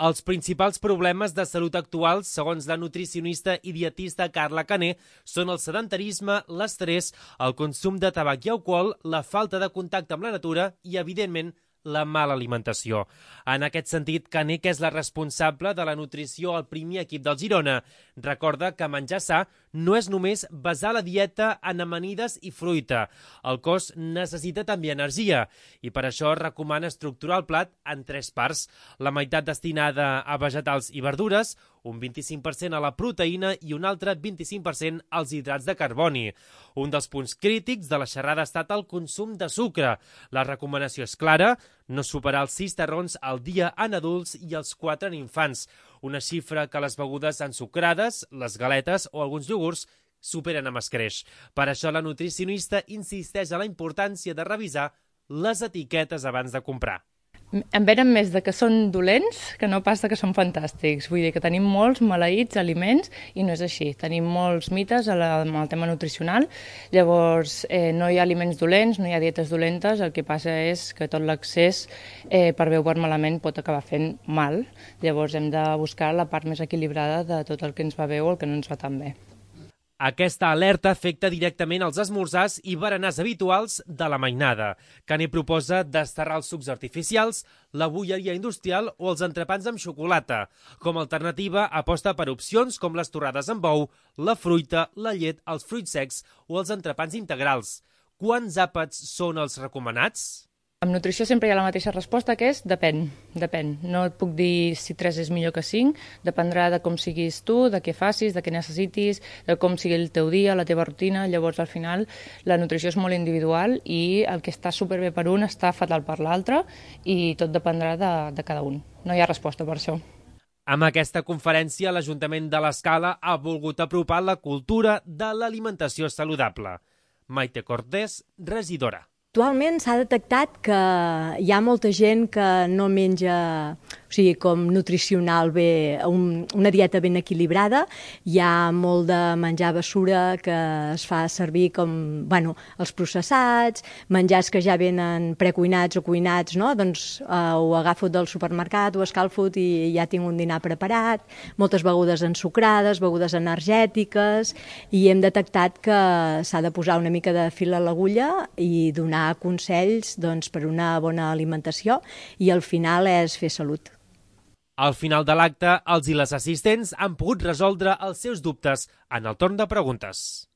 Els principals problemes de salut actuals, segons la nutricionista i dietista Carla Caner, són el sedentarisme, l'estrès, el consum de tabac i alcohol, la falta de contacte amb la natura i, evidentment, la mala alimentació. En aquest sentit, Caner, que és la responsable de la nutrició al primer equip del Girona, recorda que menjar sa no és només basar la dieta en amanides i fruita. El cos necessita també energia i per això recomana estructurar el plat en 3 parts. La meitat destinada a vegetals i verdures, un 25% a la proteïna i un altre 25% als hidrats de carboni. Un dels punts crítics de la xerrada ha estat el consum de sucre. La recomanació és clara, no superar els 6 tarrons al dia en adults i els 4 en infants, una xifra que les begudes ensucrades, les galetes o alguns iogurts superen amb escreix. Per això la nutricionista insisteix en la importància de revisar les etiquetes abans de comprar. En venen més de que són dolents que no pas de que són fantàstics. Vull dir que tenim molts maleïts aliments i no és així. Tenim molts mites amb el tema nutricional. Llavors, no hi ha aliments dolents, no hi ha dietes dolentes. El que passa és que tot l'excés, per bé o per malament, pot acabar fent mal. Llavors, hem de buscar la part més equilibrada de tot el que ens va bé o el que no ens va tan bé. Aquesta alerta afecta directament els esmorzars i berenars habituals de la mainada. Caner proposa desterrar els sucs artificials, la bolleria industrial o els entrepans amb xocolata. Com a alternativa, aposta per opcions com les torrades amb ou, la fruita, la llet, els fruits secs o els entrepans integrals. Quants àpats són els recomanats? Amb nutrició sempre hi ha la mateixa resposta, que és depèn. No et puc dir si 3 és millor que 5, dependrà de com siguis tu, de què facis, de què necessitis, de com sigui el teu dia, la teva rutina. Llavors, al final, la nutrició és molt individual i el que està superbé per un està fatal per l'altre i tot dependrà de cada un. No hi ha resposta per això. Amb aquesta conferència, l'Ajuntament de l'Escala ha volgut apropar la cultura de l'alimentació saludable. Maite Cortés, regidora. Actualment s'ha detectat que hi ha molta gent que no menja, com nutricional bé, una dieta ben equilibrada. Hi ha molt de menjar basura que es fa servir com, els processats, menjars que ja venen precuinats o cuinats, no? Doncs ho agafo del supermercat, ho escalfo i ja tinc un dinar preparat, moltes begudes ensucrades, begudes energètiques, i hem detectat que s'ha de posar una mica de fil a l'agulla i donar consells per una bona alimentació i al final és fer salut. Al final de l'acte, els i les assistents han pogut resoldre els seus dubtes en el torn de preguntes.